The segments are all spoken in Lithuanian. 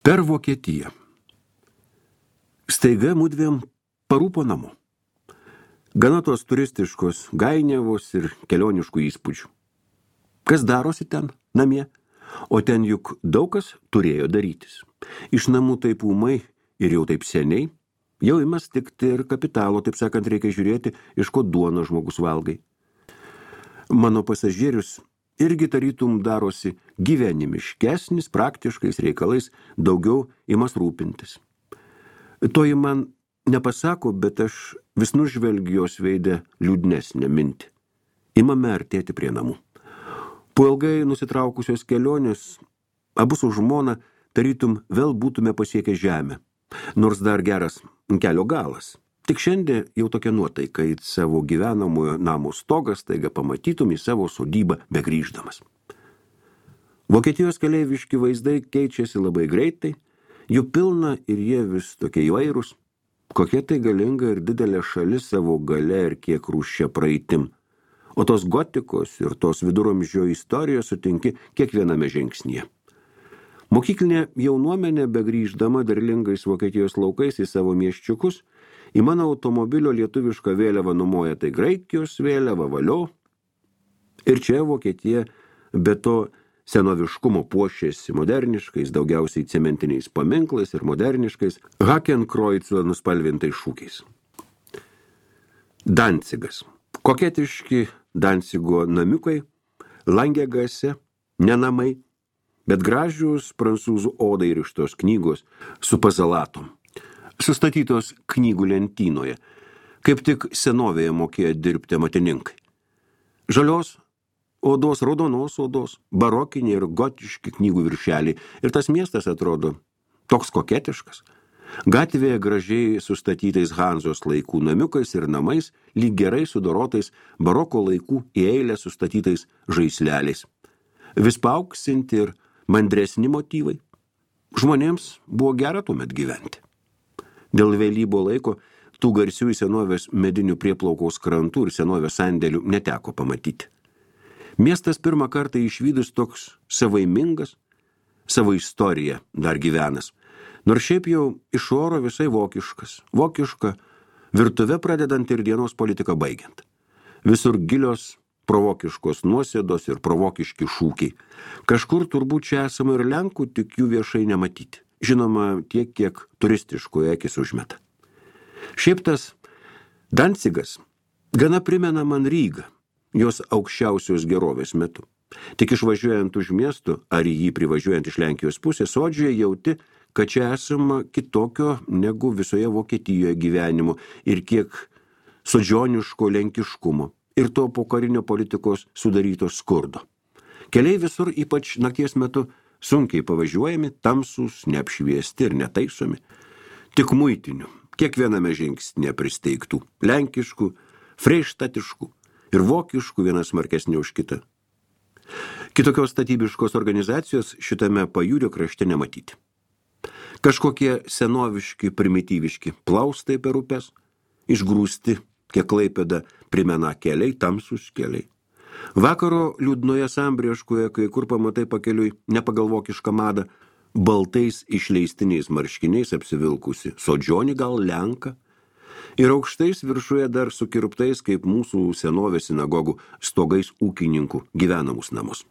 Per Vokietiją. Staiga mudviem parūpo namo. Gana tos turistiškos gainiavos ir kelioniškų įspūdžių. Kas darosi ten, namie? O ten juk daug kas turėjo darytis. Iš namų taip ūmai ir jau taip seniai, jau ima stikti ir kapitalo, taip sakant, reikia žiūrėti, iš ko duono žmogus valgai. Mano pasažierius irgi tarytum darosi gyvenimiškesnis, praktiškais reikalais, daugiau imas rūpintis. Toji man nepasako, bet aš vis nužvelgiu jos veidę liūdnesnę mintį. Imame artėti prie namų. Po ilgai nusitraukusios kelionės, abu su žmona tarytum vėl būtume pasiekę žemę, nors dar geras kelio galas. Tik šiandien jau tokia nuotaika, į savo gyvenamojo namo stogas taiga pamatytum į savo sodybą begrįždamas. Vokietijos keleiviški vaizdai keičiasi labai greitai, jų pilna ir jie vis tokie įvairūs, kokia tai galinga ir didelė šalis savo gale ir kiek rūščia praeitim. O tos gotikos ir tos viduramžio istorijos sutinki kiekviename žingsnyje. Mokyklinė jaunuomenė begrįždama derlingais Vokietijos laukais į savo miesčiukus, į mano automobilio lietuvišką vėliavą numoja tai Graikijos vėliava, valio. Ir čia Vokietija be to senoviškumo puošėsi moderniškais, daugiausiai cementiniais paminklais ir moderniškais Hakenkreuzlo nuspalvintais šūkiais. Dancigas. Koketiški Dancigo namiukai, Langegase, ne namai, bet gražius prancūzų odai rištos knygos su pazalatom, sustatytos knygų lentynoje, kaip tik senovėje mokėjo dirbti amatininkai. Žalios odos, raudonos odos, barokiniai ir gotiški knygų viršeliai, ir tas miestas atrodo toks koketiškas. Gatvėje gražiai sustatytais Hanzos laikų namiukais ir namais, lyg gerai sudorotais baroko laikų į eilę sustatytais žaisleliais. Vis paauksinti ir mandresni motyvai. Žmonėms buvo gera tuomet gyventi. Dėl vėlybo laiko tų garsių senovės medinių prieplaukos krantų ir senovės sandėlių neteko pamatyti. Miestas pirmą kartą išvydus toks savaimingas, savo istoriją dar gyvenas. Nors šiaip jau iš oro visai vokiškas, vokiška, virtuve pradedant ir dienos politiką baigiant. Visur gilios provokiškos nuosėdos ir provokiški šūkiai. Kažkur turbūt čia esama ir Lenkų, tik jų viešai nematyti. Žinoma, tiek, kiek turistiškoje akis užmeta. Šiaip tas Dancigas gana primena man Rygą, jos aukščiausios gerovės metu. Tik išvažiuojant už miestų, ar jį privažiuojant iš Lenkijos pusės, sodžioje jauti, kad čia esama kitokio negu visoje Vokietijoje gyvenimo ir kiek sodžioniško lenkiškumo ir to pokarinio politikos sudaryto skurdo. Keliai visur, ypač nakties metu, sunkiai pavažiuojami, tamsūs, neapšviesti ir netaisomi. Tik muitinių, kiekviename žingsnėje pristeigtų, lenkiškų, freištatiškų ir vokiškų vienas smarkesnė už kitą. Kitokios statybiškos organizacijos šitame pajūrio krašte nematyti. Kažkokie senoviški, primityviški plaustai per upes, išgrūsti, kiek Klaipėda primena keliai, tamsūs keliai. Vakaro liūdnoje sambrieškoje, kai kur pamatai pakeliui nepagalvokišką madą, baltais išleistiniais marškiniais apsivilkusi, sodžionį gal Lenką, ir aukštais viršuje dar sukirptais, kaip mūsų senovės sinagogų stogais ūkininkų gyvenamus namus.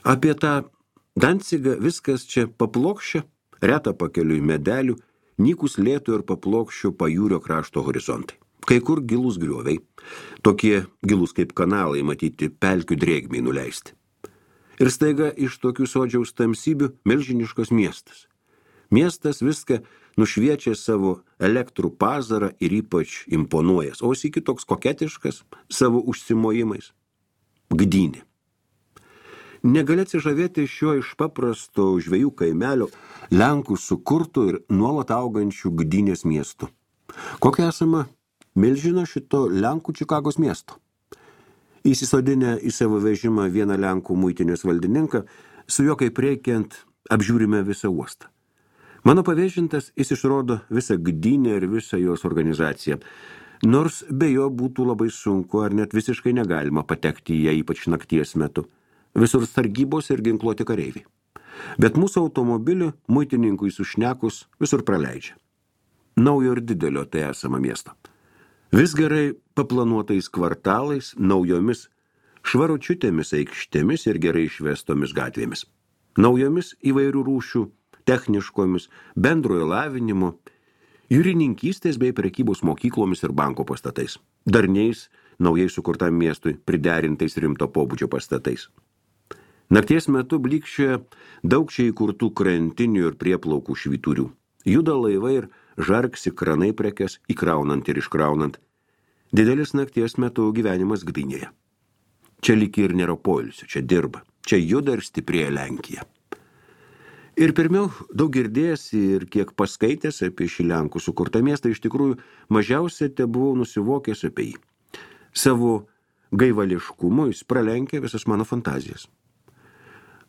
Apie tą Dancigą viskas čia paplokščia, reta pakeliui medelių, nykus lėtų ir paplokščio pajūrio krašto horizontai. Kai kur gilus grioviai, tokie gilus kaip kanalai matyti pelkių drėgmiai nuleisti. Ir staiga iš tokių sodžiaus tamsybių milžiniškas miestas. Miestas viską nušviečia savo elektrų pazarą ir ypač imponuojas, o sykį toks koketiškas savo užsimojimais. Gdynė. Negali atsižavėti šiuo iš paprasto žvejų kaimelio Lenkų sukurtų ir nuolat augančių Gdynės miestų. Kokia esama milžino šito Lenkų Čikagos miesto? Įsisodinę į savo vežimą vieną Lenkų muitinės valdininką, su juo kaip reikiant apžiūrime visą uostą. Mano pavėžintas jis išrodo visą Gdynę ir visą jos organizaciją, nors be jo būtų labai sunku ar net visiškai negalima patekti į ją, ypač nakties metu. Visur sargybos ir ginkluoti kareiviai. Bet mūsų automobilį muitininkui sušnekus visur praleidžia. Naujo ir didelio tai esama miesto. Vis gerai paplanuotais kvartalais, naujomis švaručiutėmis aikštėmis ir gerai išvestomis gatvėmis. Naujomis įvairių rūšių, techniškomis, bendrojo lavinimo, jūrininkystės bei prekybos mokyklomis ir banko pastatais. Darniais, naujai sukurtam miestui, priderintais rimto pobūdžio pastatais. Nakties metu blikščioja daug čia įkurtų krantinių ir prieplaukų švyturių. Juda laivai ir žargsi kranai prekes, įkraunant ir iškraunant. Didelis nakties metu gyvenimas Gdynėje. Čia lyg ir nėra poilsio, čia dirba, čia juda ir stiprėja Lenkija. Ir pirmiau, daug girdėjęs ir kiek paskaitęs apie šį Lenkų sukurtą miestą, iš tikrųjų mažiausia te buvau nusivokęs apie jį. Savo gaivališkumu jis pralenkė visas mano fantazijas.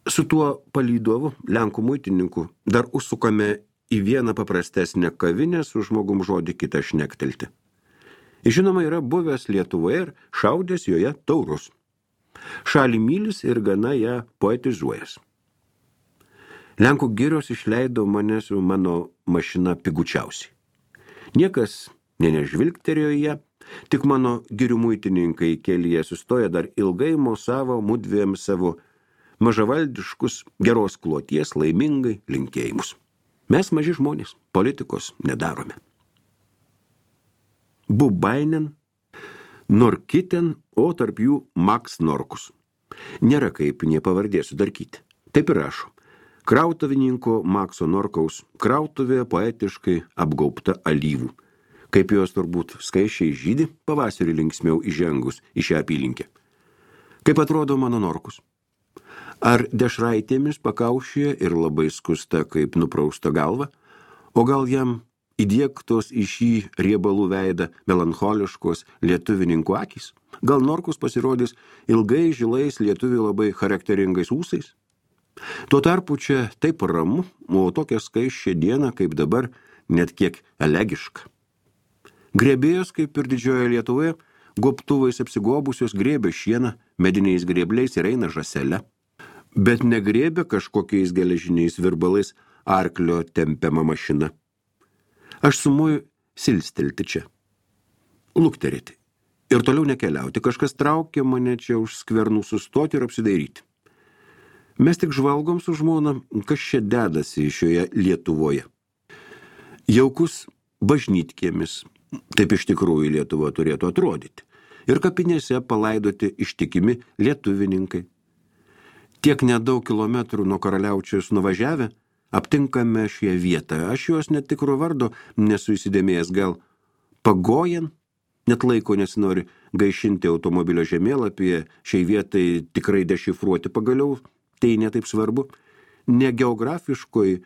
Su tuo palydovu, Lenkų muitininku, dar užsukame į vieną paprastesnę kavinę su žmogum žodį kitą šnektelti. Žinoma, yra buvęs Lietuvoje ir šaudęs joje taurus. Šalį mylis ir gana ją poetizuojas. Lenkų girios išleido mane su mano mašina pigučiausiai. Niekas nežvilgterėjo ją, tik mano girių muitininkai kelyje sustoja dar ilgai mosavo mudviem savo mažavaldiškus geros kloties laimingai linkėjimus. Mes maži žmonės, politikos nedarome. Bubainen, Norkiten, o tarp jų Maks Norkus. Nėra kaip nie pavardė sudarkyti. Taip ir rašo. Krautavininko Makso Norkaus krautuvė poetiškai apgaubta alyvų. Kaip jos turbūt skaičiai žydi pavasarį linksmiau įžengus į šią apylinkę. Kaip atrodo mano Norkus? Ar dešraitėmis pakaušyje ir labai skusta kaip nuprausta galva? O gal jam įdiegtos į šį riebalų veidą melancholiškos lietuvininkų akys? Gal Norkus pasirodys ilgai žilais lietuvių labai charakteringais ūsais? Tuo tarpu čia taip ramu, o tokia skaisčia diena, kaip dabar, net kiek elegiška. Grėbėjos, kaip ir didžiojoje Lietuvoje, gobtuvais apsigobusios grėbė šieną, mediniais grėbliais ir eina žąsele. Bet negrėbė kažkokiais geležiniais virbalais arklio tempiama mašina. Aš sumuoju silstelti čia, lukterėti ir toliau nekeliauti. Kažkas traukia mane čia už skvernų sustoti ir apsidairyti. Mes tik žvalgom su žmona, kas čia dedasi šioje Lietuvoje. Jaukus bažnytkėmis, taip iš tikrųjų Lietuva turėtų atrodyti. Ir kapinėse palaidoti ištikimi lietuvininkai. Tiek nedaug kilometrų nuo Karaliaučiaus nuvažiavę, aptinkame šią vietą. Aš jos net tikro vardo nesu įsidėmėjęs, gal Pagojen, net laiko nesinori gaišinti automobilio žemėlapyje, šiai vietai tikrai dešifruoti pagaliau, tai netaip svarbu. Ne geografiškoj,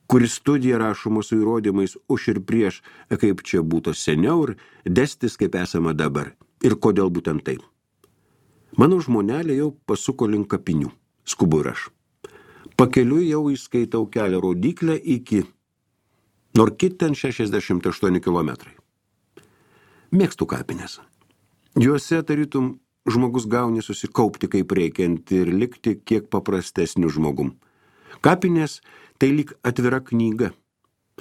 kuris studija rašoma su įrodymais už ir prieš, kaip čia būtų seniau ir destis kaip esama dabar. Ir kodėl būtent taip. Mano žmonelė jau pasuko link kapinių, skubu ir aš. Pakeliui jau įskaitau kelią rodyklę iki Norkiten 68 kilometrai. Mėgstu kapinės. Juose tarytum žmogus gauni susikaupti kaip reikiant ir likti kiek paprastesniu žmogum. Kapinės tai lyg atvira knyga.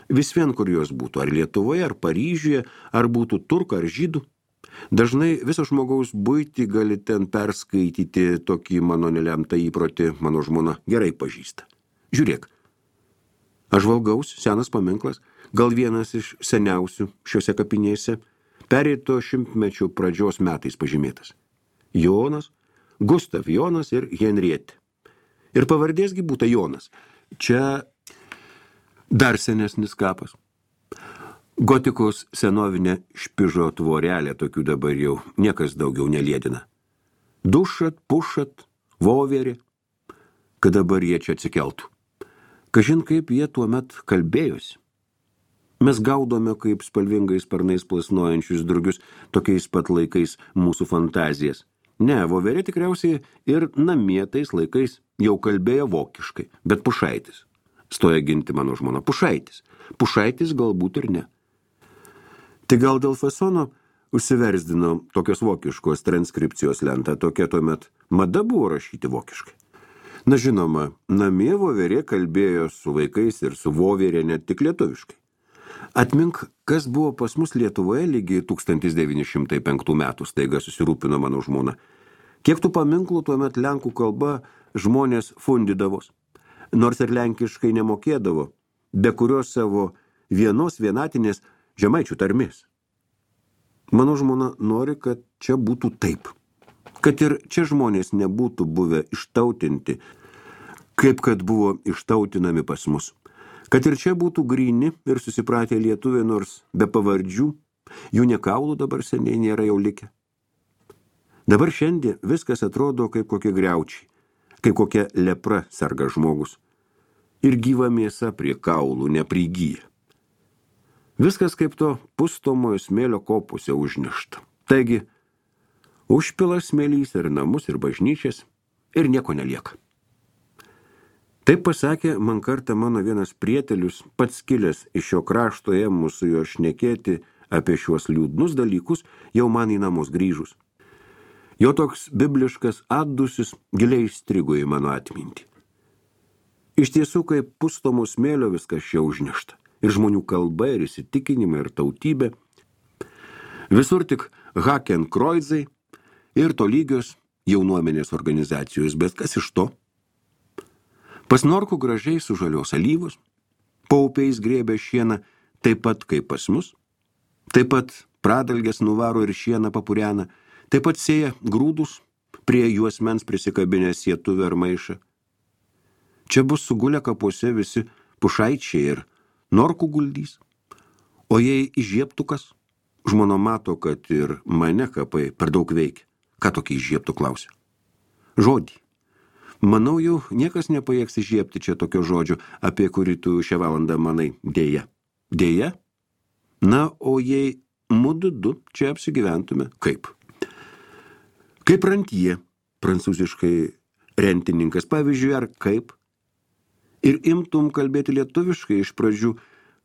Vis vien kur jos būtų, ar Lietuvoje, ar Paryžiuje, ar būtų turka, ar žydų. Dažnai viso žmogaus buitį gali ten perskaityti, tokį mano nelemtą įprotį mano žmona gerai pažįsta. Žiūrėk, aš valgaus, senas paminklas, gal vienas iš seniausių šiuose kapinėse, pereito šimtmečio pradžios metais pažymėtas. Jonas, Gustav Jonas ir Henrietė. Ir pavardėsgi būta Jonas. Čia dar senesnis kapas. Gotikos senovinė špižo tvorelė, tokių dabar jau niekas daugiau neliedina. Dušat, pušat, voverė, kad dabar jie čia atsikeltų. Kažin kaip jie tuomet kalbėjosi. Mes gaudome kaip spalvingais sparnais plasnojančius drugius tokiais pat laikais mūsų fantazijas. Ne, voverė tikriausiai ir namie tais laikais jau kalbėjo vokiškai, bet Pušaitis. Stoja ginti mano žmona Pušaitis. Pušaitis galbūt ir ne. Tai gal dėl fasono užsiversdino tokios vokiškos transkripcijos lentą, tokia tuomet mada buvo rašyti vokiškai. Na žinoma, namie voverė kalbėjo su vaikais ir su voverė ne tik lietuviškai. Atmink, kas buvo pas mus Lietuvoje lygiai 1905 metų, staiga susirūpino mano žmona. Kiek tų paminklų tuomet lenkų kalba žmonės fundidavos, nors ir lenkiškai nemokėdavo, be kurios savo vienos vienatinės žemaičių tarmės. Mano žmona nori, kad čia būtų taip, kad ir čia žmonės nebūtų buvę ištautinti, kaip kad buvo ištautinami pas mus. Kad ir čia būtų gryni ir susipratę lietuviai, nors be pavardžių, jų nė kaulų dabar seniai nėra jau likę. Dabar šiandien viskas atrodo kaip kokie griaučiai, kaip kokia lepra serga žmogus. Ir gyva mėsa prie kaulų neprigyja. Viskas kaip to pustomojo smėlio kopose užnešta. Taigi, užpila smėlys ir namus, ir bažnyčias, ir nieko nelieka. Taip pasakė man kartą mano vienas prietelius, pats kilęs iš šio krašto ėmus su juo šnekėti apie šiuos liūdnus dalykus, jau man į namus grįžus. Jo toks bibliškas atdusis giliai įstrigo į mano atmintį. Iš tiesų, kaip pustomų smėlio viskas čia užnešta. Ir žmonių kalba, ir įsitikinimai, ir tautybė. Visur tik Hakenkreuzai ir tolygios jaunuomenės organizacijos, bet kas iš to? Pas Norkų gražiai sužalios alyvos, paupiais grėbė šieną taip pat kaip pas mus, taip pat pradalgės nuvaro ir šieną papurena, taip pat sėja grūdus, prie juosmens prisikabinę sietuvę ar maišą. Čia bus sugulę kapuose visi pušaičiai ir Norkų guldys. O jei įžiebtukas, žmona mato, kad ir mane kapai per daug veikia. Ką tokį įžiebtų klausia? Žodį. Manau, jau niekas nepajėgs įžiebti čia tokio žodžio, apie kurį tu šią valandą manai. Dėja. Dėja? Na, o jei mudu du čia apsigyventume, kaip? Kaip rantie, prancūziškai rentininkas, pavyzdžiui, ar kaip? Ir imtum kalbėti lietuviškai iš pradžių,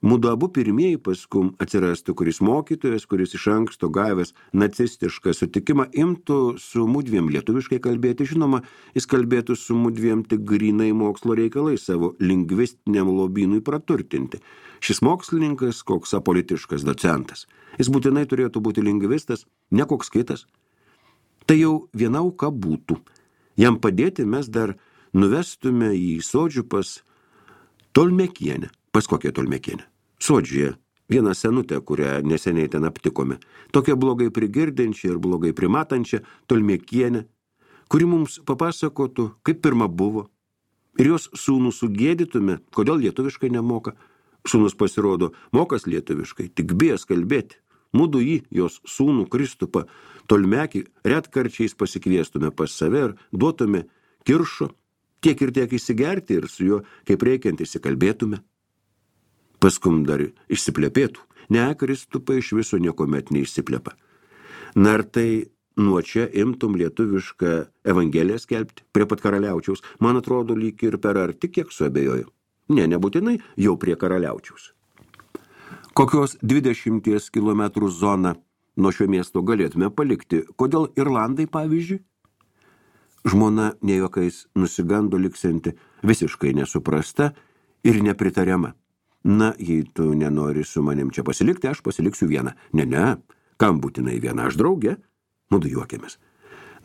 mudu abu pirmieji, paskum atsirastų kuris mokytojas, kuris iš anksto gavęs nacistišką sutikimą, imtų su mudviem lietuviškai kalbėti. Žinoma, jis kalbėtų su mudviem tik grynai mokslo reikalai savo lingvistiniam lobynui praturtinti. Šis mokslininkas, koks apolitiškas docentas. Jis būtinai turėtų būti lingvistas, ne koks kitas. Tai jau viena auka būtų. Jam padėti mes dar nuvestume į sodžių pas Tolmekienę. Pas kokią Tolmekienę? Sodžiuje, vieną senutę, kurią neseniai ten aptikome. Tokią blogai prigirdinčią ir blogai primatančią Tolmekienę, kuri mums papasakotų, kaip pirma buvo. Ir jos sūnų sugėdytume, kodėl lietuviškai nemoka. Sūnus pasirodo, mokas lietuviškai, tik bijęs kalbėti. Mudu jį, jos sūnų Kristupą Tolmekį, retkarčiais pasikviestume pas save ir duotume kiršo, tiek ir tiek įsigerti ir su juo kaip reikiant įsikalbėtume. Paskum dar išsiplepėtų. Ne, Kristupai iš viso niekomet neišsiplepa. Na ir tai nuo čia imtum lietuvišką evangeliją skelbti prie pat Karaliaučiaus. Man atrodo, lyg ir per arti, kiek suabejoju. Ne, nebūtinai jau prie Karaliaučiaus. Kokios 20 kilometrų zoną nuo šio miesto galėtume palikti? Kodėl Irlandai, pavyzdžiui? Žmona nejokais nusigando liksianti, visiškai nesuprasta ir nepritariama. Na, jei tu nenori su manim čia pasilikti, aš pasiliksiu vieną. Ne, kam būtinai vieną, aš draugė? Mudu juokėmės.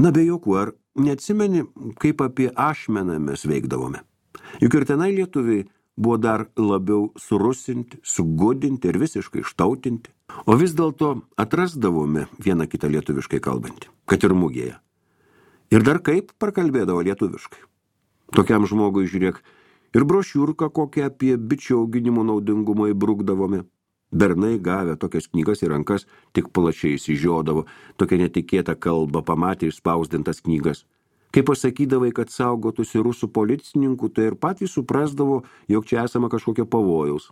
Na, be jokų, ar neatsimeni, kaip apie Ašmeną mes veikdavome? Juk ir tenai lietuviai buvo dar labiau surusinti, sugodinti ir visiškai ištautinti. O vis dėlto atrasdavome vieną kitą lietuviškai kalbantį, kad ir mugėje. Ir dar kaip prakalbėdavo lietuviškai. Tokiam žmogui, žiūrėk, ir brošiūrką kokią apie bičių auginimo naudingumą įbrukdavome. Bernai gavę tokias knygas į rankas tik plačiai įsižiodavo, tokia netikėta kalba pamatė išspausdintas knygas. Kai pasakydavai, kad saugotųsi rusų policininkų, tai ir patys suprasdavo, jog čia esama kažkokio pavojaus.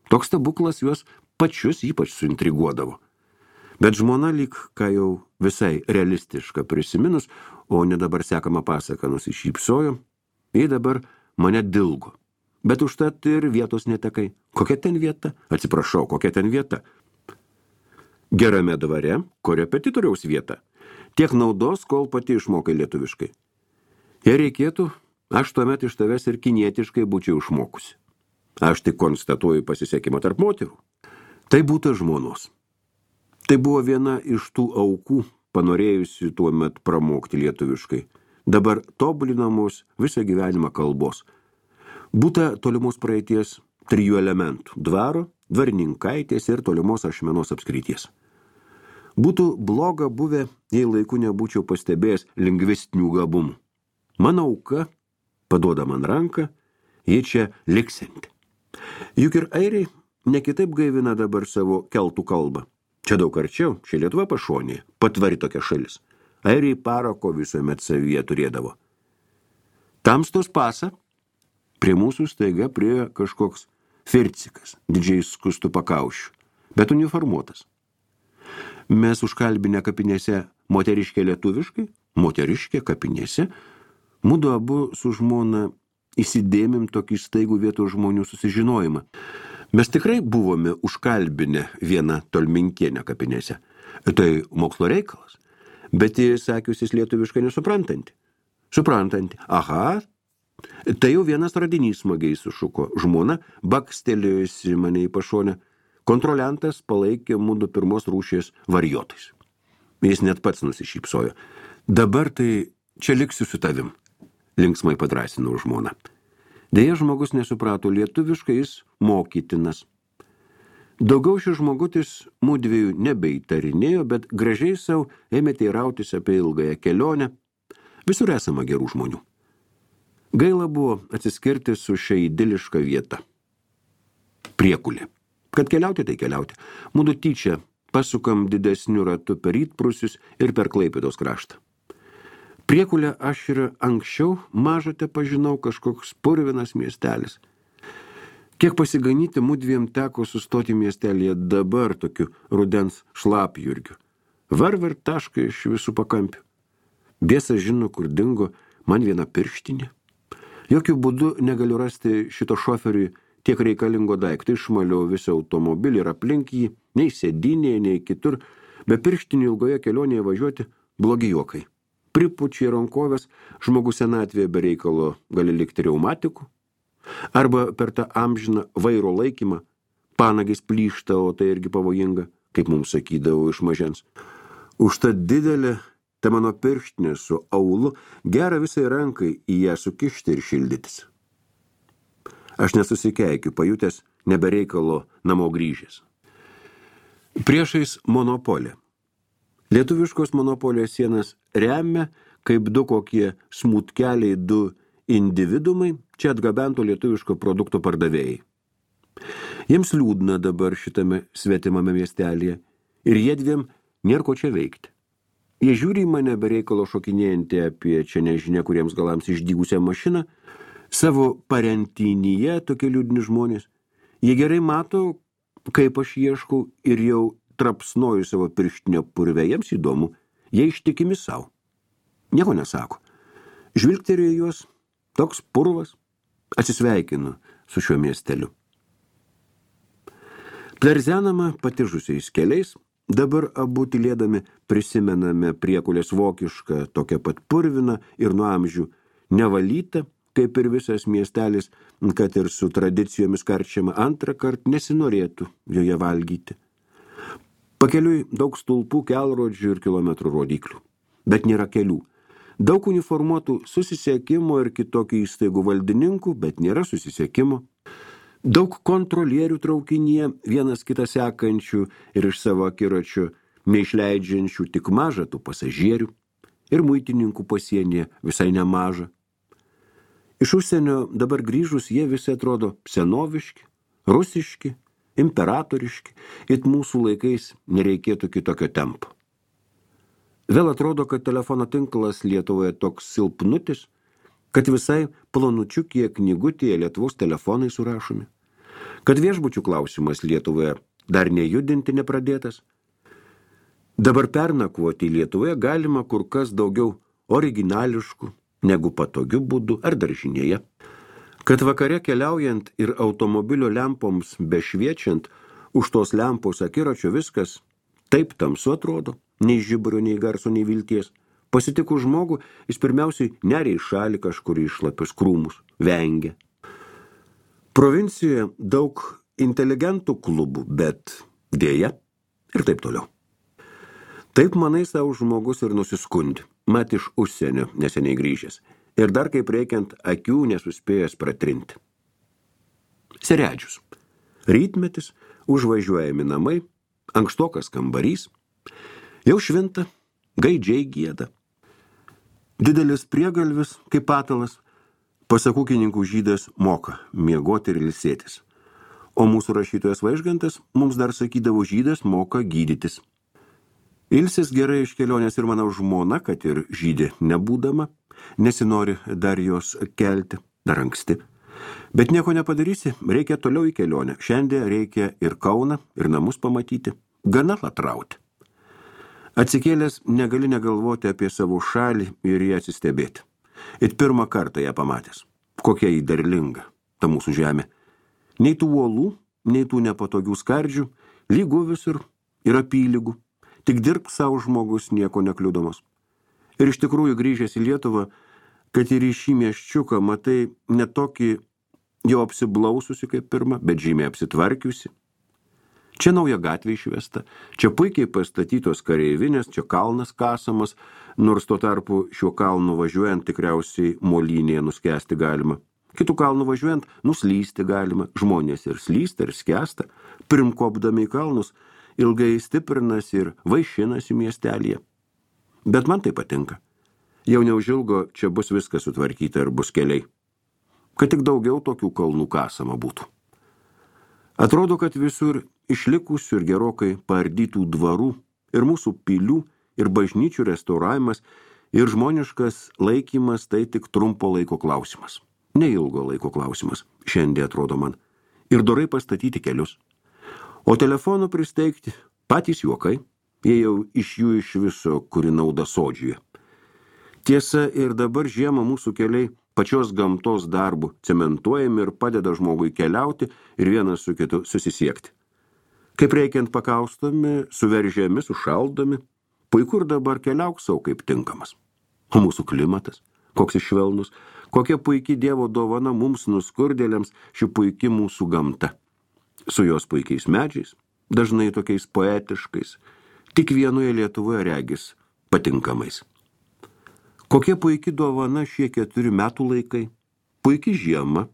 Toks stebuklas juos pačius ypač suintriguodavo. Bet žmona lyg, ką jau visai realistiška prisiminus, o ne dabar sekama pasaka nusišypsojo, jei dabar mane dilgo. Bet užtat ir vietos netekai. Kokia ten vieta? Atsiprašau, kokia ten vieta? Gerame dvare, korepetitoriaus vieta. Tiek naudos, kol pati išmokai lietuviškai. Jei reikėtų, aš tuomet iš tavęs ir kinietiškai būčiau išmokusi. Aš tik konstatuoju pasisekimą tarp moterų. Tai būtų žmonos. Tai buvo viena iš tų aukų, panorėjusi tuomet pramokti lietuviškai. Dabar tobulinamos visą gyvenimą kalbos. Būta tolimos praeities 3 elementų – dvaro, dvarininkaitės ir tolimos Ašmenos apskrities. Būtų bloga buvę, jei laiku nebūčiau pastebėjęs lingvistinių gabumų. Mano auka paduoda man ranką, ji čia liksinti. Juk ir airiai ne kitaip gaivina dabar savo keltų kalbą. Čia daug arčiau, čia Lietuva pašonėje, patvari tokia šalis. Airiai parako visuomet savyje turėdavo. Tamstos pasą prie mūsų staiga priėjo kažkoks fircikas, didžiai skustu pakaušiu, bet uniformuotas. Mes užkalbinę kapinėse moteriškė lietuviškai, moteriškė kapinėse, mudu abu su žmona įsidėmim tokį staigų vietos žmonių susižinojimą. Mes tikrai buvome užkalbinę vieną tolminkienę kapinėse. Tai mokslo reikalas, bet jis sakiusis lietuviškai nesuprantanti. Suprantanti, aha, tai jau vienas radinys smagiai sušuko. Žmona bakstelėjusi mane į pašonę. Kontroliantas palaikė mudu pirmos rūšies varijotais. Jis net pats nusišypsojo. Dabar tai čia liksiu su tavim, linksmai padrąsinau žmoną. Deja, žmogus nesuprato lietuviškai, jis mokytinas. Daugiau šis žmogutis mudviejų nebeįtarinėjo, bet gražiai savo ėmė teirautis apie ilgąją kelionę. Visur esama gerų žmonių. Gaila buvo atsiskirti su šia idiliška vieta. Priekulė. Kad keliauti, tai keliauti. Mudu tyčia pasukam didesniu ratu per Rytprūsius ir per Klaipėdos kraštą. Priekulę aš ir anksčiau mažate pažinau, kažkoks purvinas miestelis. Kiek pasiganyti mudviem teko sustoti miestelėje dabar tokiu rudens šlapjurgiu. Varvar taškai iš visų pakampių. Biesas žino, kur dingo man viena pirštinė. Jokių būdų negaliu rasti šito šoferiui tiek reikalingo daikto, išmaliau visą automobilį ir aplink jį, nei sėdynėje, nei kitur, be pirštinių ilgoje kelionėje važiuoti blogi juokai. Pripučiai rankovės, žmogus senatvėje be reikalo gali likti reumatiku, arba per tą amžiną vairo laikymą panagis plyšta, o tai irgi pavojinga, kaip mums sakydavo iš mažens. Užtat didelė ta mano pirštinė su aulu gera visai rankai į ją sukišti ir šildytis. Aš nesusikeikiu, pajutęs nebereikalo namo grįžęs. Priešais monopolė. Lietuviškos monopolijos sienas remia, kaip du kokie smutkeliai, du individumai, čia atgabento lietuviško produkto pardavėjai. Jiems liūdna dabar šitame svetimame miestelėje ir jiedviem nėra ko čia veikti. Jie žiūri į mane bereikalo šokinėjantį apie čia nežinia kuriems galams išdygusią mašiną, savo parentynyje tokie liūdni žmonės. Jie gerai mato, kaip aš ieškau ir jau trapsnoju savo pirštinio purvę. Jiems įdomu, jie ištikimi savo. Nieko nesako. Žvilgterėjo juos, toks purvas, atsisveikinu su šiuo miesteliu. Plerzenama patižusiais keliais, dabar abu tylėdami prisimename Priekulės vokišką, tokią pat purviną ir nuo amžių nevalytą, kaip ir visas miestelis, kad ir su tradicijomis karčiama, antrą kartą nesinorėtų joje valgyti. Pakeliui daug stulpų, kelrodžių ir kilometrų rodiklių, bet nėra kelių. Daug uniformuotų susisiekimo ir kitokių įstaigų valdininkų, bet nėra susisiekimo. Daug kontrolierių traukinyje, vienas kitą sekančių ir iš savo akiračio neišleidžiančių tik mažą tų pasažierių, ir muitininkų pasienyje visai nemaža. Iš užsienio dabar grįžus jie visi atrodo senoviški, rusiški, imperatoriški, it mūsų laikais nereikėtų kitokio tempo. Vėl atrodo, kad telefono tinklas Lietuvoje toks silpnutis, kad visai plonučiukie knygutėje Lietuvos telefonai surašomi, kad viešbučių klausimas Lietuvoje dar nejudinti nepradėtas. Dabar pernakvoti Lietuvoje galima kur kas daugiau originališkų, negu patogiu būdu ar daržinėje. Kad vakare keliaujant ir automobilio lempoms bešviečiant, už tos lempos akiračio viskas taip tamsu atrodo, nei žibrio, nei garso, nei vilties. Pasitikus žmogų, jis pirmiausiai neria į šalį kažkurį išlapius krūmus, vengia. Provincijoje daug inteligentų klubų, bet dėja ir taip toliau. Taip manai savo žmogus ir nusiskundė, mat iš užsienio neseniai grįžęs, ir dar kaip reikiant akių nesuspėjęs pratrinti. Seredžius. Rytmetis, užvažiuojami namai, ankstokas kambarys, jau švinta, gaidžiai gieda. Didelis priegalvis, kaip patalas, pasak ūkininkų žydas moka miegoti ir ilsėtis. O mūsų rašytojas Vaižgantas mums dar sakydavo, žydas moka gydytis. Ilsis gerai iš kelionės ir mano žmona, kad ir žydė nebūdama, nesinori dar jos kelti, dar anksti. Bet nieko nepadarysi, reikia toliau į kelionę. Šiandien reikia ir Kauną, ir namus pamatyti. Gana latrauti. Atsikėlęs negali negalvoti apie savo šalį ir ją atsistebėti. Ir pirmą kartą ją pamatęs. Kokia jį derlinga, ta mūsų žemė. Nei tų uolų, nei tų nepatogių skardžių, lygų visur ir apylygų. Tik dirbk savo žmogus nieko nekliudomas. Ir iš tikrųjų grįžęs į Lietuvą, kad ir į šį mieščiuką matai ne tokį jau apsiblaususi kaip pirma, bet žymiai apsitvarkiusi. Čia nauja gatvė išvesta, čia puikiai pastatytos kareivinės, čia kalnas kasamas, nors tuo tarpu šiuo kalnu važiuojant tikriausiai molynėje nuskesti galima. Kitų kalnų važiuojant nuslysti galima, žmonės ir slysta ir skęsta, primkopdami į kalnus, ilgai stiprinasi ir vaišinasi miestelėje. Bet man tai patinka. Jau neužilgo čia bus viskas sutvarkyta ir bus keliai. Kad tik daugiau tokių kalnų kasama būtų. Atrodo, kad visur išlikusių ir gerokai paardytų dvarų ir mūsų pilių ir bažnyčių restauravimas ir žmoniškas laikymas tai tik trumpo laiko klausimas. Neilgo laiko klausimas, šiandien atrodo man. Ir dorai pastatyti kelius. O telefonų pristeigti patys juokai, jie jau iš jų iš viso kuri nauda sodžiuje. Tiesa, ir dabar žiemą mūsų keliai pačios gamtos darbų cementuojami ir padeda žmogui keliauti ir vienas su kitu susisiekti. Kaip reikiant pakaustomi, suveržiami, sušaldomi, puiku ir dabar keliauk savo kaip tinkamas. O mūsų klimatas, koks išvelnus, kokia puiki Dievo dovana mums nuskurdėliams ši puiki mūsų gamta. Su jos puikiais medžiais, dažnai tokiais poetiškais, tik vienoje Lietuvoje regis patinkamais. Kokia puiki dovana šie 4 metų laikai, puiki žiema.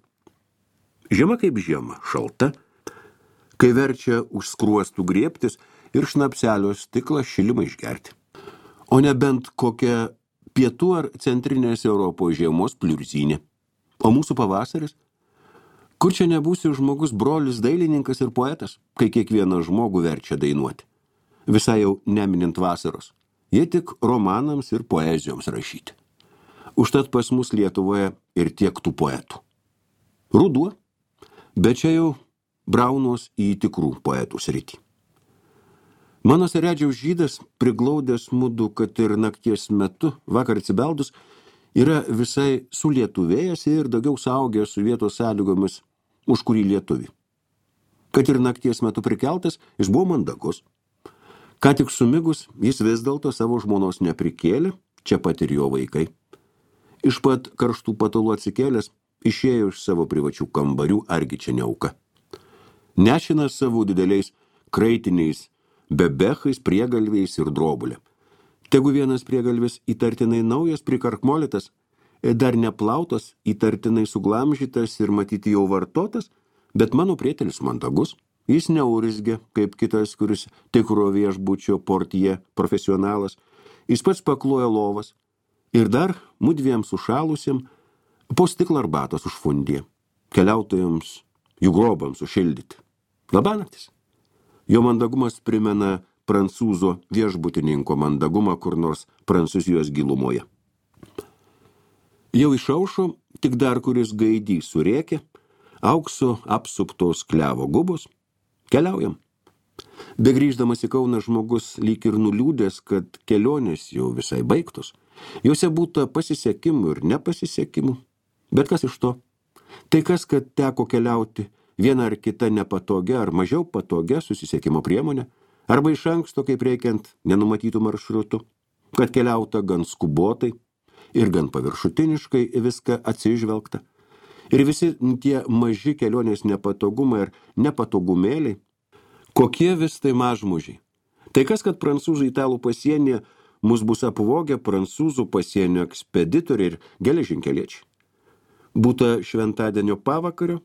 Žiema kaip žiema, šalta, kai verčia už skruostų griebtis ir šnapselio stiklą šilimą išgerti. O nebent kokia pietų ar centrinės Europos žiemos pliurzinė. O mūsų pavasaris? Kur čia nebūsi žmogus brolis dailininkas ir poetas, kai kiekvieną žmogų verčia dainuoti. Visai jau neminint vasaros. Jie tik romanams ir poezijoms rašyti. Užtat pas mus Lietuvoje ir tiek tų poetų. Ruduo, bet čia jau braunos į tikrų poetų sritį. Mano seredžiaus žydas, priglaudęs mudu, kad ir nakties metu, vakar atsibeldus, yra visai sulietuvėjęs ir daugiau saugęs su vietos sąlygomis už kurį lietuvį. Kad ir nakties metu prikeltas, jis buvo mandagus. Ką tik sumigus, jis vis dėlto savo žmonos neprikėlė, čia pat ir jo vaikai. Iš pat karštų patalų atsikėlęs, išėjo iš savo privačių kambarių, argi čia neauka. Nešinas savo dideliais kraitiniais bebechais, priegalviais ir drobulė. Tegu vienas priegalvis įtartinai naujas, prikarkmolitas, dar neplautas, įtartinai suglamžytas ir matyti jau vartotas, bet mano prietelis mandagus. Jis neurzgia, kaip kitas, kuris tikro viešbučio portje profesionalas. Jis pats pakloja lovas ir dar mudviem sušalusiem po stiklą arbatos užfundė. Keliautojams jų grobams sušildyti. Labanaktis. Jo mandagumas primena prancūzo viešbutininko mandagumą kur nors Prancūzijos gilumoje. Jau išaušo, tik dar kuris gaidys surėkė, aukso apsuptos klevo gubos. Keliaujam. Begrįždamas į Kauną žmogus lyg ir nuliūdęs, kad kelionės jau visai baigtos. Jose būta pasisekimų ir nepasisekimų. Bet kas iš to? Tai kas, kad teko keliauti viena ar kita nepatogia ar mažiau patogia susisiekimo priemonė, arba iš anksto, kaip reikiant, nenumatytų maršrutų. kad keliauta gan skubotai ir gan paviršutiniškai viską atsižvelgta. Ir visi tie maži kelionės nepatogumai ir nepatogumėliai, kokie vis tai mažmužiai. Tai kas, kad prancūzų italų pasienyje mus bus apvogę prancūzų pasienio ekspeditoriai ir geležinkeliečiai. Būta šventadienio pavakario,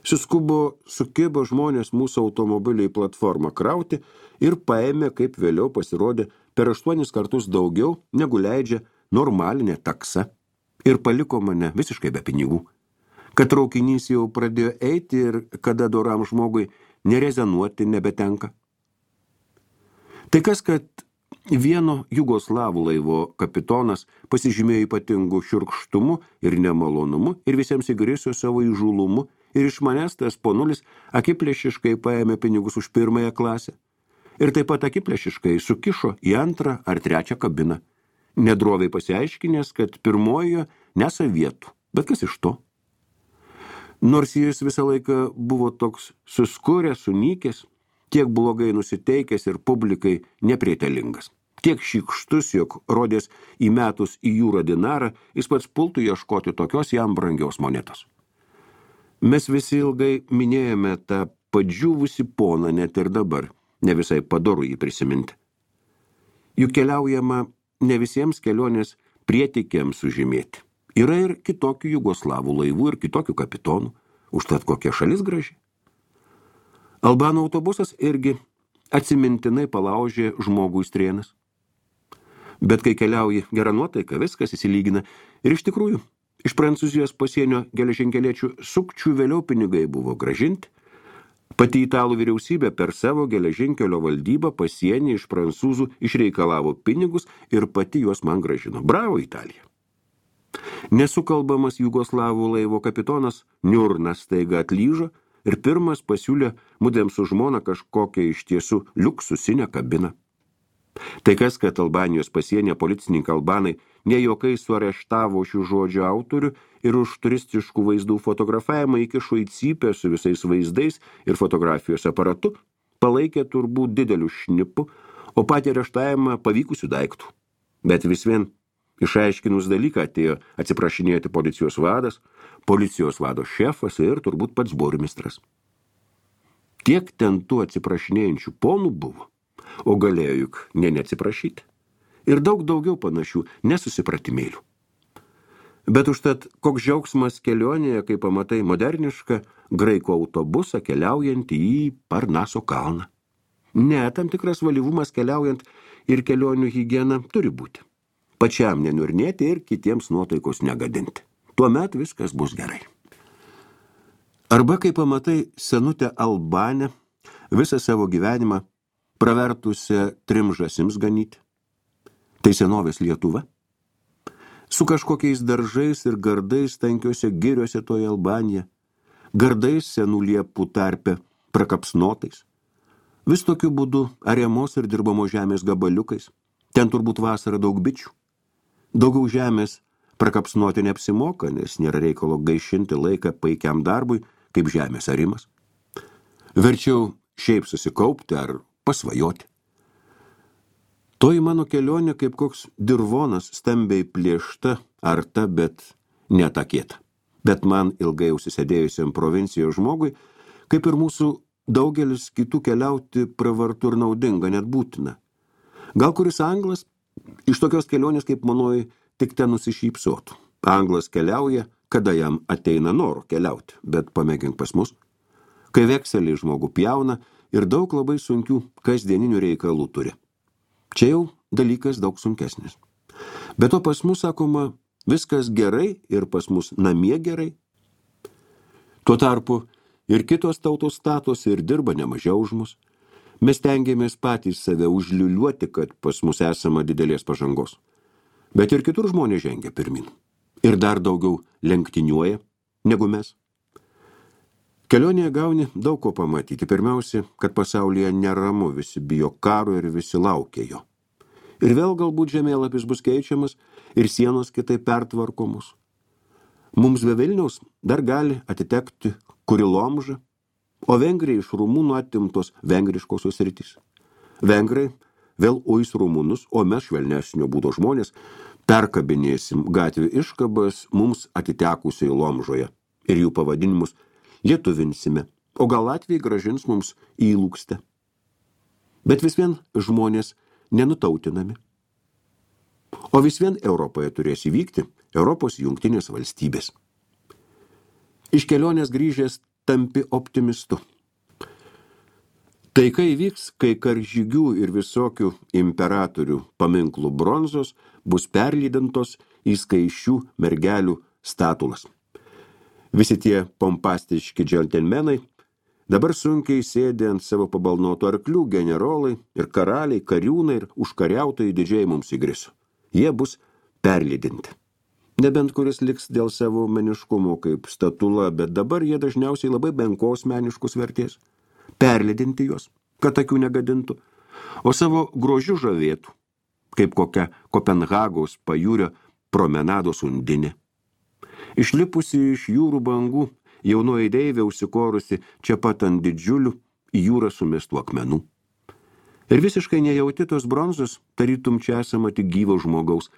sukibo žmonės mūsų automobilį į platformą krauti ir paėmė, kaip vėliau pasirodė, per 8 kartus daugiau, negu leidžia normalinė taksa, ir paliko mane visiškai be pinigų. Kad traukinys jau pradėjo eiti ir kada doram žmogui nerezenuoti nebetenka. Tai kas, kad vieno jugoslavų laivo kapitonas pasižymėjo ypatingų šiurkštumu ir nemalonumu ir visiems įgrisio savo įžūlumu ir iš manęs tas ponulis akiplėšiškai paėmė pinigus už 1 klasę ir taip pat akiplėšiškai sukišo į 2 ar 3 kabiną, nedroviai pasiaiškinęs, kad 1 nesa vietų, bet kas iš to? Nors jis visą laiką buvo toks suskuręs, sunykęs, tiek blogai nusiteikęs ir publikai neprietelingas. Tiek šykštus, jog rodės įmetus į jūrą dinarą, jis pats pultų ieškoti tokios jam brangios monetos. Mes visi ilgai minėjome tą padžiūvusi poną net ir dabar, ne visai padoru jį prisiminti. Juk keliaujama ne visiems kelionės prietikiams sužymėti. Yra ir kitokių jugoslavų laivų ir kitokių kapitonų, užtat kokia šalis graži. Albanų autobusas irgi atsimintinai palaužė žmogų į strėnas. Bet kai keliauji gerą nuotaiką, viskas įsilygina. Ir iš tikrųjų, iš Prancūzijos pasienio geležinkeliečių sukčių vėliau pinigai buvo gražinti. Pati italų vyriausybė per savo geležinkelio valdybą pasienį iš prancūzų išreikalavo pinigus ir pati juos man gražino. Bravo, Italija! Nesukalbamas jugoslavų laivo kapitonas Niurnas staiga atlyžo ir pirmas pasiūlė mudėm su žmona kažkokią iš tiesų liuksusinę kabiną. Tai kas, kad Albanijos pasienė policininkai albanai nejuokai suareštavo šių žodžių autorių ir už turistiškų vaizdų fotografavimą įkišo į cypę su visais vaizdais ir fotografijos aparatu, palaikė turbūt didelių šnipų, o patį areštavimą pavykusių daiktų. Bet vis vien išaiškinus dalyką atėjo atsiprašinėti policijos vadas, policijos vado šefas ir turbūt pats burmistras. Tiek ten tų atsiprašinėjančių ponų buvo, o galėjo juk neatsiprašyti. Ir daug daugiau panašių nesusipratimėlių. Bet užtat koks džiaugsmas kelionėje, kai pamatai modernišką graikų autobusą keliaujantį į Parnaso kalną. Ne, tam tikras valyvumas keliaujant ir kelionių higiena turi būti. Pačiam nenurnėti ir kitiems nuotaikos negadinti. Tuomet viskas bus gerai. Arba kai pamatai senutę Albanę, visą savo gyvenimą pravertusią 3 žąsims ganyti. Tai senovės Lietuva. Su kažkokiais daržais ir gardais tankiuose giriuose toje Albanija, gardais senų liepų tarpe prakapsnotais. Vis tokiu būdu ariamos ir dirbamos žemės gabaliukais. Ten turbūt vasarą daug bičių. Daugiau žemės prakapsnoti neapsimoka, nes nėra reikalo gaišinti laiką paikiam darbui, kaip žemės arimas. Verčiau šiaip susikaupti ar pasvajoti. Toji mano kelionė kaip koks dirvonas stambiai plėšta, arta, bet netakėta. Bet man ilgai užsisėdėjusiam provincijos žmogui, kaip ir mūsų daugelis kitų keliauti pravartu ir naudinga, net būtina. Gal kuris anglas iš tokios kelionės kaip manoji tik ten nusišypsotų. Anglas keliauja, kada jam ateina noro keliauti, bet pamėgink pas mus. Kai vekselį žmogų pjauna ir daug labai sunkių kasdieninių reikalų turi. Čia jau dalykas daug sunkesnis. Bet to pas mus, sakoma, viskas gerai ir pas mus namie gerai. Tuo tarpu ir kitos tautos statosi ir dirba nemažiau už mus. Mes tengiamės patys save užliuliuoti, kad pas mus esama didelės pažangos. Bet ir kitur žmonės žengia pirmin. Ir dar daugiau lenktyniuoja negu mes. Kelionėje gauni daug ko pamatyti. Pirmiausia, kad pasaulyje neramu, visi bijo karo ir visi laukia jo. Ir vėl galbūt žemėlapis bus keičiamas ir sienos kitaip pertvarkomos. Mums be Vilniaus dar gali atitekti Kurilomža, o Vengrijai iš Rumunų atimtos vengriškosios sritys. Vengrai vėl uis rumunus, o mes švelnesnio būdo žmonės perkabinėsim gatvių iškabas mums atitekusioje Lomžoje ir jų pavadinimus lietuvinsime, o gal Latvijai gražins mums į Lūkstę. Bet vis vien žmonės nenutautinami. O vis vien Europoje turės įvykti Europos jungtinės valstybės. Iš kelionės grįžęs tampi optimistu. Taika įvyks, kai karžygių ir visokių imperatorių paminklų bronzos bus perlydintos į skaičių mergelių statulas. Visi tie pompastiški džentelmenai dabar sunkiai sėdi ant savo pabalnotų arklių generolai ir karaliai, kariūnai ir užkariautojai didžiai mums įgriso. Jie bus perlydinti. Nebent kuris liks dėl savo meniškumo kaip statula, bet dabar jie dažniausiai labai menkos meniškus vertės. Perlydinti juos, kad akių negadintų, o savo grožiu žavėtų, kaip kokia Kopenhagos pajūrio promenados undinė. Išlipusi iš jūrų bangų, jaunoji deivė užsikorusi čia pat ant didžiulių į jūrą sumestų akmenų. Ir visiškai nejauti tos bronzos, tarytum čia esama tik gyvo žmogaus.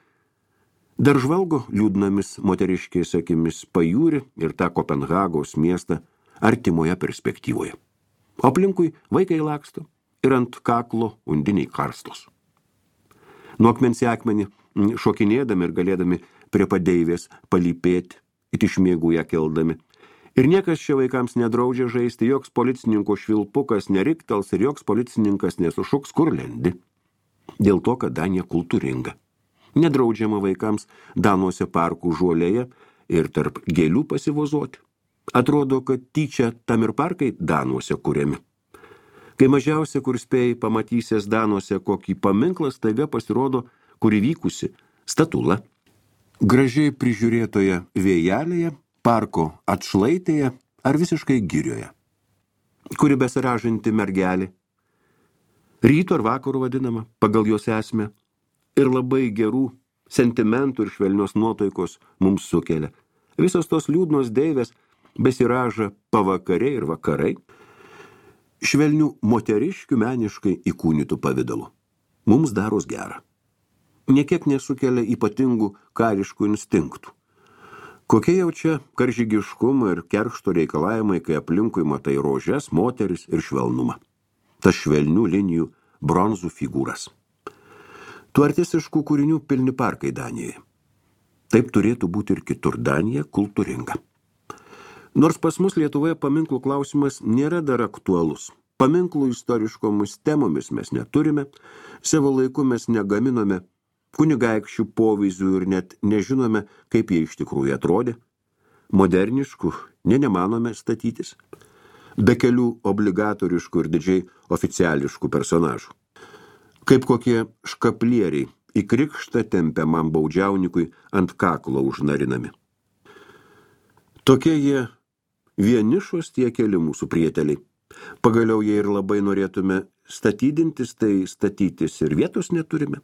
Dar žvalgo liūdnomis moteriškės akimis pajūrį ir tą Kopenhagos miestą artimoje perspektyvoje. O aplinkui vaikai laksto ir ant kaklo undiniai karstos. Nuo akmens į akmenį šokinėdami ir galėdami prie padeivės palypėti, it iš miegų ją keldami. Ir niekas čia vaikams nedraudžia žaisti, joks policininko švilpukas neriktels ir joks policininkas nesušuks, kur lendi. Dėl to, kad Danija kultūringa. Nedraudžiama vaikams Danuose parkų žuolėje ir tarp gėlių pasivozoti. Atrodo, kad tyčia tam ir parkai Danuose kuriami. Kai mažiausia, kur spėjai pamatysės Danuose kokį paminklą, staiga pasirodo, kur įvykusi statula. Gražiai prižiūrėtoje vėjelėje, parko atšlaitėje ar visiškai girioje, kuri besiražanti mergelė, ryto ar vakarų vadinama, pagal jos esmę, ir labai gerų sentimentų ir švelnios nuotaikos mums sukelia. Visos tos liūdnos deivės besiraža pavakariai ir vakarai, švelnių moteriškių meniškai įkūnytų pavidalu. Mums daros gera. Niekiek nesukelia ypatingų kariškų instinktų. Kokie jau čia karžygiškumo ir keršto reikalavimai, kai aplinkui matai rožes, moteris ir švelnumą. Tas švelnių linijų bronzų figūras. Tų artistiškų kūrinių pilni parkai Danijoje. Taip turėtų būti ir kitur. Danija kultūringa. Nors pas mus Lietuvoje paminklų klausimas nėra dar aktualus. Paminklų istoriškomis temomis mes neturime, savo laiku mes negaminome kunigaikščių povyzdžių ir net nežinome, kaip jie iš tikrųjų atrodė. Moderniškų nemanome statytis, be kelių obligatoriškų ir didžiai oficiališkų personažų. Kaip kokie škaplieriai į krikštą tempiamam baudžiaunikui ant kaklo užnarinami. Tokie jie vienišos tie keli mūsų prieteliai. Pagaliau jie ir labai norėtume statydintis, tai statytis ir vietos neturime.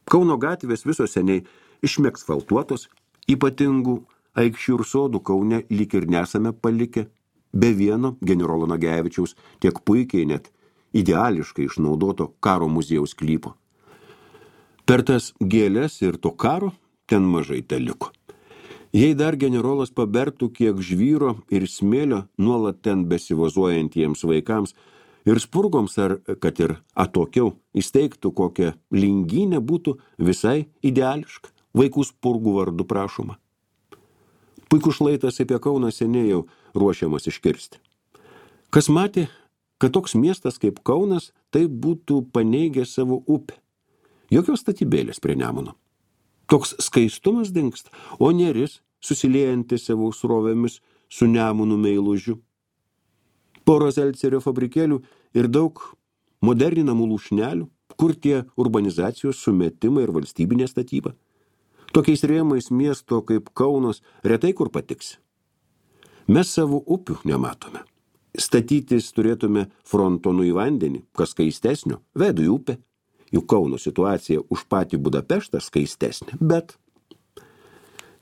Kauno gatvės visos seniai išmeksfaltuotos, ypatingų aikščių ir sodų Kaune lyg ir nesame palikę, be vieno generolo Nagevičiaus tiek puikiai net ideališkai išnaudoto karo muziejaus sklypo. Per tas gėlės ir to karo ten mažai teliko. Jei dar generolas pabertų kiek žvyro ir smėlio nuolat ten besivazuojantiems vaikams ir spurgoms, ar kad ir atokiau įsteigtų kokią lingynę, būtų visai ideališka, vaikų spurgų vardu prašoma. Puikus šlaitas apie Kauną seniai jau ruošiamas iškirsti. Kas matė, kad toks miestas kaip Kaunas tai būtų paneigę savo upę. Jokios statybėlės prie Nemuno. Toks skaistumas dingsta, o Neris susiliejantis savo srovėmis su Nemunu meilužiu. Pora Zelcerio fabrikėlių ir daug moderninamų lūšnelių, kur tie urbanizacijos sumetimai ir valstybinė statyba. Tokiais rėmais miesto kaip Kaunas retai kur patiksi. Mes savo upių nematome. Statytis turėtume frontonu į vandenį, kas skaistesnio, vedu į upę. Juk Kauno situacija už patį Budapeštą skaistesnė, bet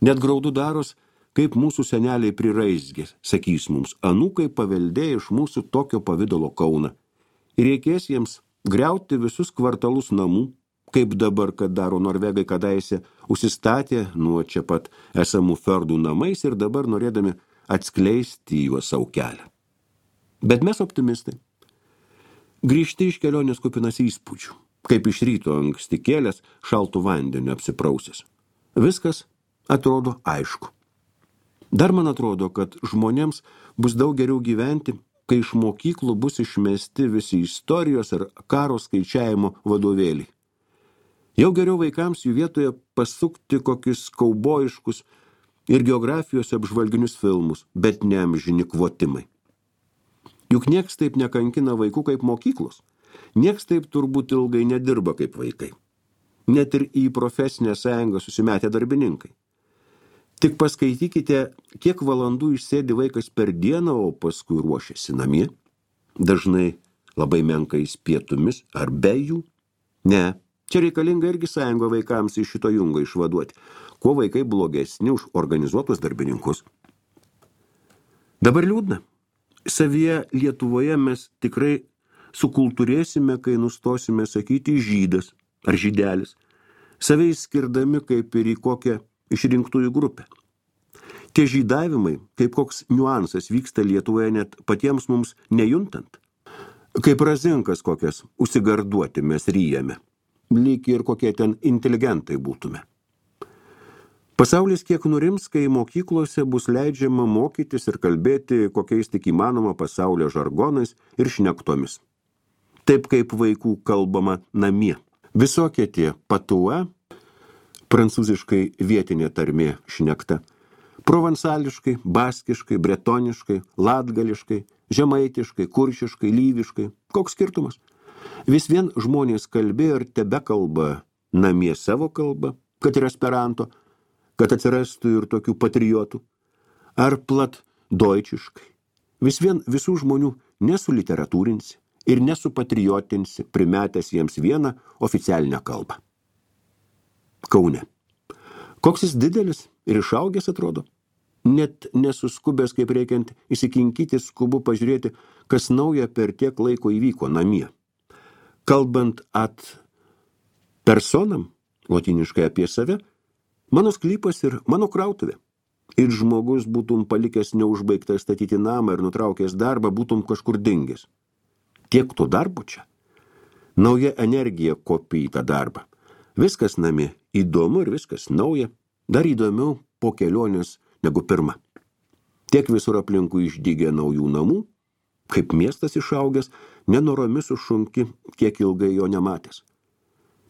net graudu daros, kaip mūsų seneliai priraizgė, sakys mums, anūkai paveldėjo iš mūsų tokio pavidalo Kauną. Ir reikės jiems griauti visus kvartalus namų, kaip dabar, kad daro norvegai kadaise, užsistatė nuo čia pat esamų ferdų namais ir dabar norėdami atskleisti juos savo kelią. Bet mes optimistai. Grįžti iš kelionės kupinas įspūdžių, kaip iš ryto anksti kėlęs šaltų vandeniu apsiprausęs. Viskas atrodo aišku. Dar man atrodo, kad žmonėms bus daug geriau gyventi, kai iš mokyklų bus išmesti visi istorijos ir karo skaičiavimo vadovėliai. Jau geriau vaikams jų vietoje pasukti kokius kaubojiškus ir geografijos apžvalginius filmus, bet ne amžini kvotimai. Juk nieks taip nekankina vaikų kaip mokyklos. Nieks taip turbūt ilgai nedirba kaip vaikai. Net ir į profesinę sąjungą susimetę darbininkai. Tik paskaitykite, kiek valandų išsėdi vaikas per dieną, o paskui ruošiasi namie. Dažnai labai menkais pietumis ar be jų. Ne, čia reikalinga irgi sąjunga vaikams iš šito jungo išvaduoti. Kuo vaikai blogesni už organizuotus darbininkus. Dabar liūdna. Savyje Lietuvoje mes tikrai sukultūrėsime, kai nustosime sakyti žydas ar žydelis, save išskirdami kaip ir į kokią išrinktųjų grupę. Tie žydavimai, kaip koks niuansas vyksta Lietuvoje net patiems mums nejuntant. Kaip razinkas kokias užsigarduoti mes ryjame, lyg ir kokie ten inteligentai būtume. Pasaulis kiek nurims, kai mokyklose bus leidžiama mokytis ir kalbėti kokiais tik įmanoma pasaulio žargonais ir šnektomis. Taip kaip vaikų kalbama namie. Visokie tie patua, prancūziškai vietinė tarmė šnekta, provansališkai, baskiškai, bretoniškai, latgališkai, žemaitiškai, kuršiškai, lyviškai. Koks skirtumas? Vis vien žmonės kalbėjo ir tebekalba namie savo kalbą, kad ir esperanto, kad atsirastų ir tokių patriotų, ar plat deutschiškai. Vis vien visų žmonių nesuliteratūrinsi ir nesupatriotinsi, primetęs jiems vieną oficialinę kalbą. Kaune. Koks jis didelis ir išaugęs atrodo. Net nesuskubęs kaip reikiant įsikinkyti, skubu pažiūrėti, kas nauja per tiek laiko įvyko namie. Kalbant ad personam, lotiniškai apie save, mano sklypas ir mano krautuvė. Ir žmogus būtum palikęs neužbaigtą statyti namą ir nutraukęs darbą, būtum kažkur dingęs. Tiek to darbo čia. Nauja energija kopia į tą darbą. Viskas namie įdomu ir viskas nauja. Dar įdomiau po kelionės negu pirma. Tiek visur aplinkui išdygė naujų namų, kaip miestas išaugęs, nenoromis sušunki, kiek ilgai jo nematęs.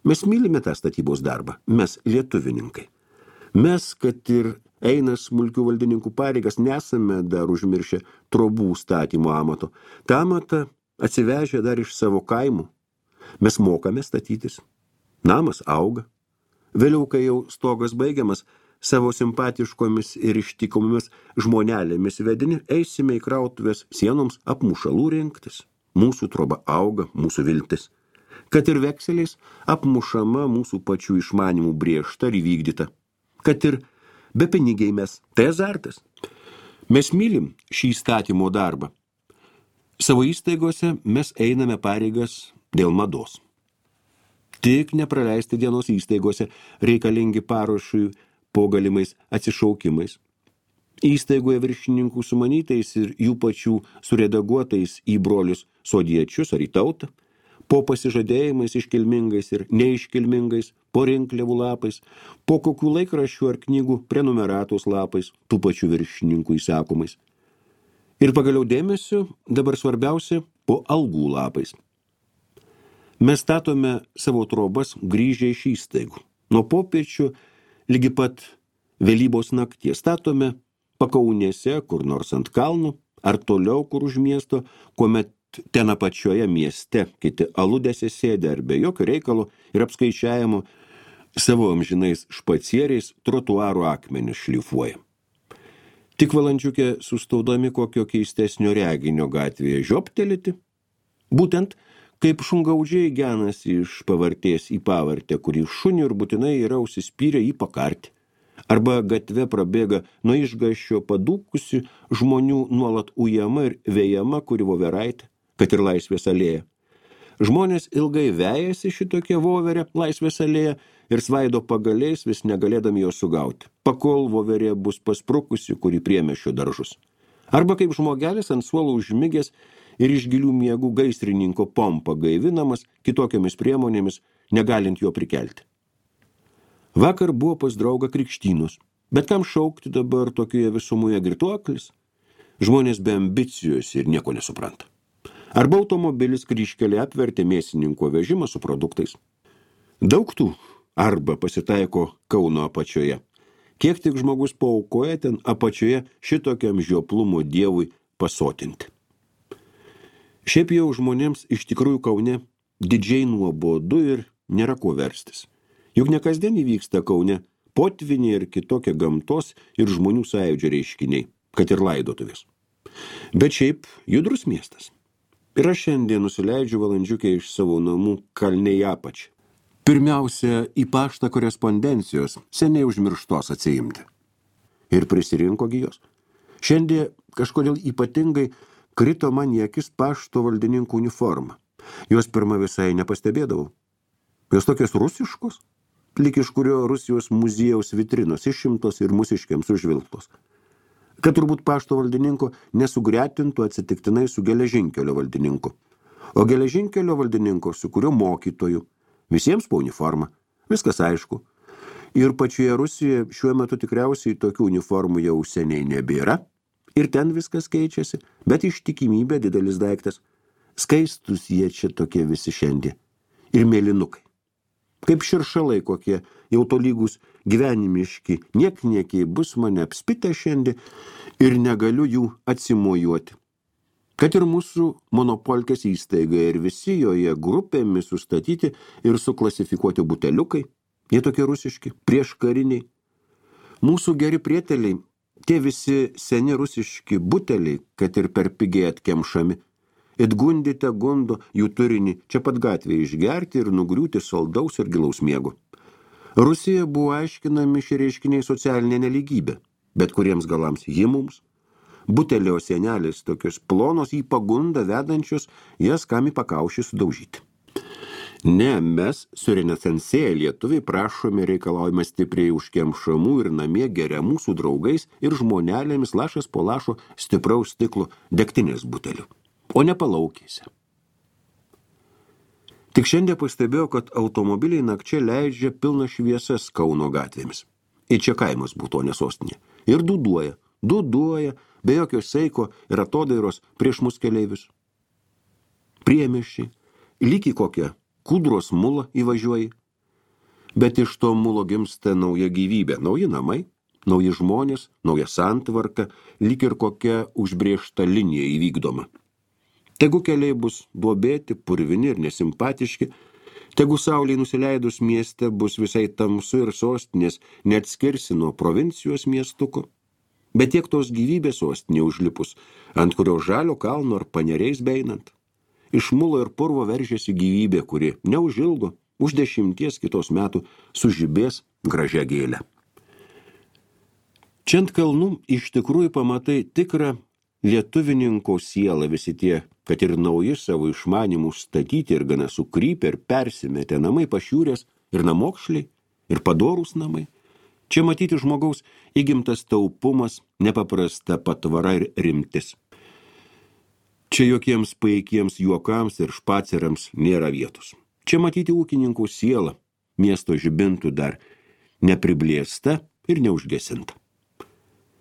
Mes mylime tą statybos darbą, mes lietuvininkai. Mes, kad ir eina smulkių valdininkų pareigas, nesame dar užmiršę trobų statymo amato. Ta amatą atsivežę dar iš savo kaimų. Mes mokame statytis. Namas auga. Vėliau, kai jau stogas baigiamas, savo simpatiškomis ir ištikomis žmonelėmis vedini, eisime į krautuvės sienoms apmušalų rinktis. Mūsų troba auga, mūsų viltis. Kad ir vekseliais apmušama mūsų pačių išmanimų brėžta ir įvykdyta. Kad ir be pinigiai mes. Tai azartas. Mes mylim šį įstatymo darbą. Savo įstaigose mes einame pareigas dėl mados. Tik nepraleisti dienos įstaigose reikalingi paruošui po galimais atsišaukimais. Įstaigoje viršininkų sumanytais ir jų pačių suredaguotais į brolius sodiečius ar į tautą, po pasižadėjimais iškilmingais ir neiškilmingais, po rinkliavų lapais, po kokių laikraščių ar knygų prenumeratos lapais, tų pačių viršininkų įsakomais. Ir pagaliau dėmesio, dabar svarbiausia, po algų lapais. Mes statome savo trobas grįžę iš įstaigų. Nuo popiečių lygi pat vėlybos nakties statome pakaunėse, kur nors ant kalnų, ar toliau, kur už miesto, kuomet ten apačioje mieste kiti aludėse sėdė ar be jokio reikalo ir apskaičiavimo savo amžinais špacieriais trotuarų akmenis šlifuoja. Tik valandžiukė sustaudami kokio keistesnio reginio gatvėje žioptelėti, būtent kaip šungaudžiai genasi iš pavartės į pavartę, kurį šunį ir būtinai yra užsispyrę į pakartį. Arba gatve prabėga nuo išgąsčio padūkusi žmonių nuolat ujama ir vėjama kuri voveraitė, kad ir laisvės alėja. Žmonės ilgai vejasi šitokie voverė Laisvės alėja ir svaido pagaliais, vis negalėdami jo sugauti, pakol voverė bus pasprukusi, kuri priemiesčio daržus. Arba kaip žmogelis ant suolo užmigęs ir iš gilių miegų gaisrininko pompa gaivinamas kitokiamis priemonėmis, negalint jo prikelti. Vakar buvo pas draugą krikštynus, bet kam šaukti dabar tokioje visumoje girtuoklis? Žmonės be ambicijos ir nieko nesupranta. Arba automobilis kryžkelė apvertė mėsininko vežimą su produktais. Daug tų arba pasitaiko Kauno apačioje. Kiek tik žmogus paaukoja ten apačioje šitokiam žioplumo dievui pasotinti. Šiaip jau žmonėms iš tikrųjų Kaune didžiai nuobodu ir nėra ko verstis. Juk ne kasdien įvyksta Kaune potviniai ir kitokie gamtos ir žmonių sąjūdžio reiškiniai, kad ir laidotuvės. Bet šiaip judrus miestas. Ir aš šiandien nusileidžiu valandžiukę iš savo namų kalne į apačią. Pirmiausia, į paštą korespondencijos seniai užmirštos atsiimti. Ir prisirinko gijos. Šiandien kažkodėl ypatingai krito man į akis pašto valdininkų uniforma. Jos pirma visai nepastebėdavau. Jos tokios rusiškos, lyg iš kurio Rusijos muziejaus vitrinos išimtos ir mūsiškiams užvilktos. Kad turbūt pašto valdininko nesugretintų atsitiktinai su geležinkelio valdininku. O geležinkelio valdininko su kurio mokytoju. Visiems po uniformą. Viskas aišku. Ir pačioje Rusijoje šiuo metu tikriausiai tokių uniformų jau seniai nebėra. Ir ten viskas keičiasi, bet ištikimybė didelis daiktas. Skaistus jie čia tokie visi šiandien. Ir mėlynukai. Kaip širšalai kokie, jau tolygus gyvenimiški, niekniekiai bus mane apspitę šiandien ir negaliu jų atsimojuoti. Kad ir mūsų monopolkės įstaiga ir visi joje grupėmis sustatyti ir suklasifikuoti buteliukai, jie tokie rusiški, prieškariniai. Mūsų geri prieteliai, tie visi seni rusiški buteliai, kad ir per pigiai atkemšami, it gundite gundo jų turinį čia pat gatvėje išgerti ir nugriūti saldaus ir gilaus miego. Rusija buvo aiškinami šie reiškiniai socialinė nelygybė, bet kuriems galams ji mums. Butelio sienelės tokios plonos į pagundą vedančios, jas kam į pakaušį sudaužyti. Ne, mes su renesansėje lietuviai prašome reikalaujame stipriai užkemšamų ir namie geriamų su draugais ir žmonelėmis lašas po lašo stipraus stiklo degtinės butelių. O ne palaukėse. Tik šiandien pastebėjau, kad automobiliai nakčia leidžia pilną šviesas Kauno gatvėmis. Ir čia kaimas būtų, o ne sostinė. Ir duduoja, be jokio saiko ir atodairos prieš mus keleivius. Priemiesčiai, lyg į kokią kūdros mulą įvažiuoji. Bet iš to mulo gimsta nauja gyvybė, nauji namai, nauji žmonės, nauja santvarka, lyg ir kokia užbrėžta linija įvykdoma. Tegu keliai bus duobėti, purvini ir nesimpatiški, tegu saulei nusileidus mieste bus visai tamsu ir sostinės neatskirsi nuo provincijos miestuko. Bet tiek tos gyvybės sostinė užlipus, ant kurio žalio kalno ar paneriais beinant. Iš mulo ir purvo veržėsi gyvybė, kuri neužilgo, už 10 kitos metų sužibės gražia gėlę. Čia ant kalnų iš tikrųjų pamatai tikrą lietuvininko sielą, visi tie, kad ir nauji savo išmanimų statyti ir gana sukrypę ir persimetę namai pašiūrės ir namokšliai ir padorūs namai. Čia matyti žmogaus įgimtas taupumas, nepaprasta patvara ir rimtis. Čia jokiems paikiems juokams ir špacerams nėra vietos. Čia matyti ūkininkų sielą, miesto žibintų dar nepriblėsta ir neužgesinta.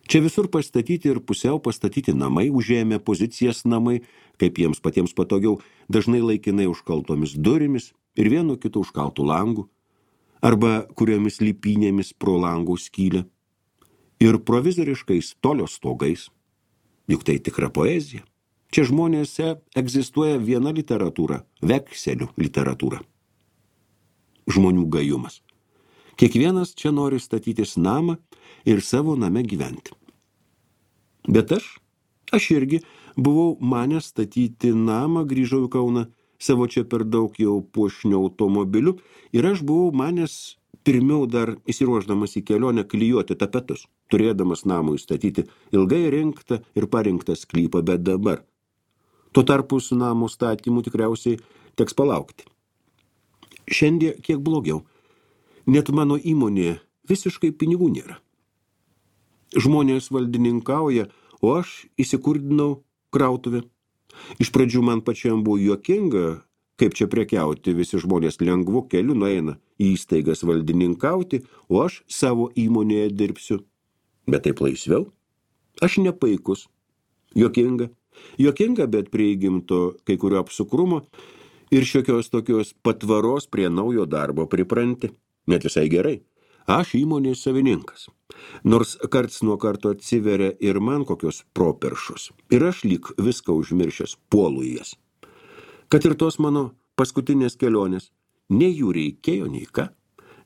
Čia visur pastatyti ir pusiau pastatyti namai, užėmė pozicijas namai, kaip jiems patiems patogiau, dažnai laikinai užkaltomis durimis ir vienu kitu užkaltų langų, arba kuriomis lypynėmis pro langų skylę, ir provizoriškais tolio stogais. Juk tai tikra poezija. Čia žmonėse egzistuoja viena literatūra, vekselių literatūra. Žmonių gajumas. Kiekvienas čia nori statytis namą ir savo name gyventi. Bet aš irgi buvau manęs statyti namą, grįžau į Kauną, savo čia per daug jau puošnių automobilių, ir aš buvau manęs pirmiau dar įsiruošdamas į kelionę klijuoti tapetus, turėdamas namui statyti ilgai rinktą ir parinktą sklypą, bet dabar. Tuo tarpu su namo statymu tikriausiai teks palaukti. Šiandien kiek blogiau. Net mano įmonėje visiškai pinigų nėra. Žmonės valdininkauja, o aš įsikurdinau krautuvę. Iš pradžių man pačiam buvo juokinga, kaip čia prekiauti, visi žmonės lengvu keliu nueina į įstaigas valdininkauti, o aš savo įmonėje dirbsiu. Bet taip laisviau. Aš nepaikus. Juokinga. Juokinga, bet prie įgimto kai kurio apsukrumo ir šiokios tokios patvaros prie naujo darbo pripranti. Net visai gerai. Aš įmonės savininkas. Nors karts nuo karto atsiveria ir man kokios properšos. Ir aš lyg viską užmiršęs puolu į jas. Kad ir tos mano paskutinės kelionės, nei jų reikėjo, nei ką.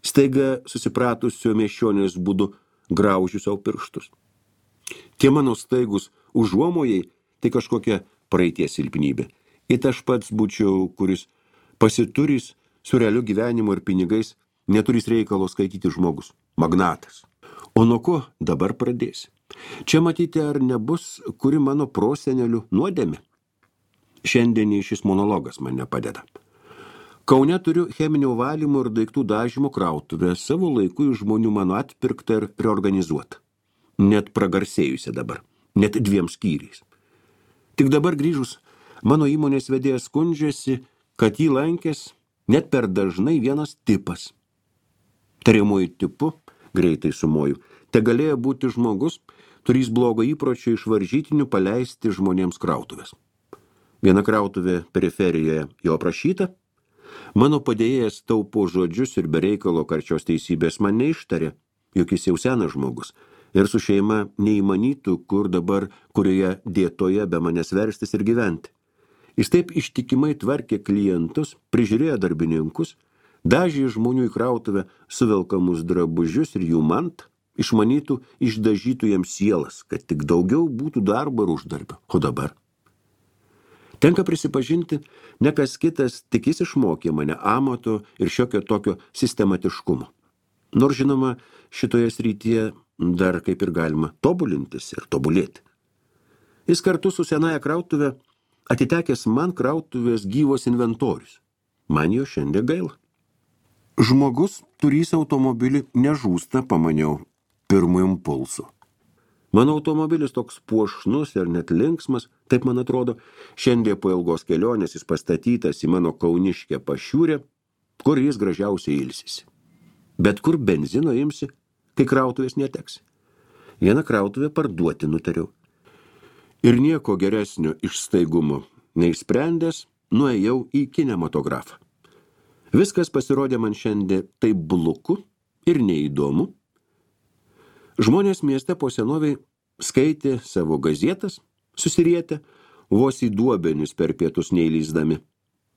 Staiga susipratusio miesčionės būdu graužiu savo pirštus. Tie mano staigus užuomojai, tai kažkokia praeities silpnybė. It aš pats būčiau, kuris pasiturys su realiu gyvenimu ir pinigais, neturės reikalo skaityti žmogus, magnatas. O nuo ko dabar pradėsi? Čia matyti, ar nebus kuri mano prosenelių nuodėmė? Šiandien šis monologas man nepadeda. Kaune turiu cheminio valymo ir daiktų dažymo krautuvę, savo laiku iš žmonių mano atpirktą ir reorganizuotą. Net pragarsėjusi dabar, net 2 skyriais. Tik dabar grįžus, mano įmonės vedėjas skundžiasi, kad jį lankės net per dažnai vienas tipas. Tariamuoju tipu, greitai sumoju, te galėjo būti žmogus, turys blogo įpročio iš varžytinių paleisti žmonėms krautuvės. Viena krautuvė periferijoje jo aprašyta. Mano padėjėjas taupo žodžius ir be reikalo karčios teisybės man neištarė, juk jis jau senas žmogus ir su šeima neįmanytų, kur dabar, kurioje dietoje be manęs verstis ir gyventi. Jis taip ištikimai tvarkė klientus, prižiūrėjo darbininkus, dažė žmonių į krautuvę suvelkamus drabužius ir jų mantą, išmanytų, išdažytų jiems sielas, kad tik daugiau būtų darbo ir uždarbio. O dabar? Tenka prisipažinti, ne kas kitas, tik jis išmokė mane amato ir šiokio tokio sistematiškumo. Nors žinoma, šitoje srityje dar kaip ir galima tobulintis ir tobulėti. Jis kartu su senaja krautuvė atitekęs man krautuvės gyvos inventorius. Man jo šiandien gaila. Žmogus turys automobilį nežūsta, pamaniau, pirmu impulsu. Mano automobilis toks puošnus ir net linksmas, taip man atrodo, šiandien po ilgos kelionės jis pastatytas į mano kauniškę pašiūrę, kur jis gražiausiai ilsisi. Bet kur benzino imsi, kai krautuvės neteksi. Vieną krautuvę parduoti nutariau. Ir nieko geresnio iš staigumo neišsprendęs, nuėjau į kinematografą. Viskas pasirodė man šiandien taip bluku ir neįdomu. Žmonės mieste po senoviai skaitė savo gazietas, susirietę, vos į duobenis per pietus neįlysdami,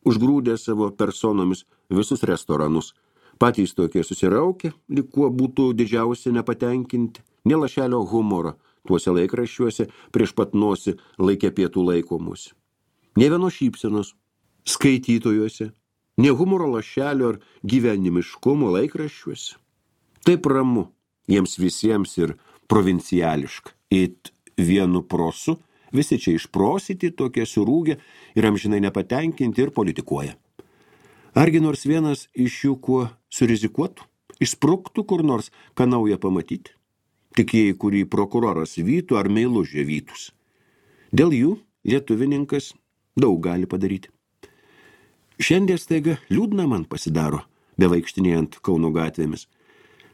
užgrūdę savo personomis visus restoranus, patys tokie susiraukė, lyg kuo būtų didžiausia nepatenkinti, nė lašelio humoro tuose laikraščiuose prieš pat nosį laikė pietų laikomus. Nė vienos šypsenos skaitytojuose, nė humoro lašelio ar gyvenimiškumo laikraščiuose. Taip ramu jiems visiems ir provinciališka. It vienu prosu, visi čia išprosyti, tokie surūgę ir amžinai nepatenkinti ir politikuoja. Argi nors vienas iš jų kuo surizikuotų, išspruktų kur nors, ką naują pamatyti? Tik jei kurį prokuroras vytų ar meilužė vytus. Dėl jų lietuvininkas daug gali padaryti. Šiandien staiga liūdna man pasidaro, bevaikštinėjant Kauno gatvėmis.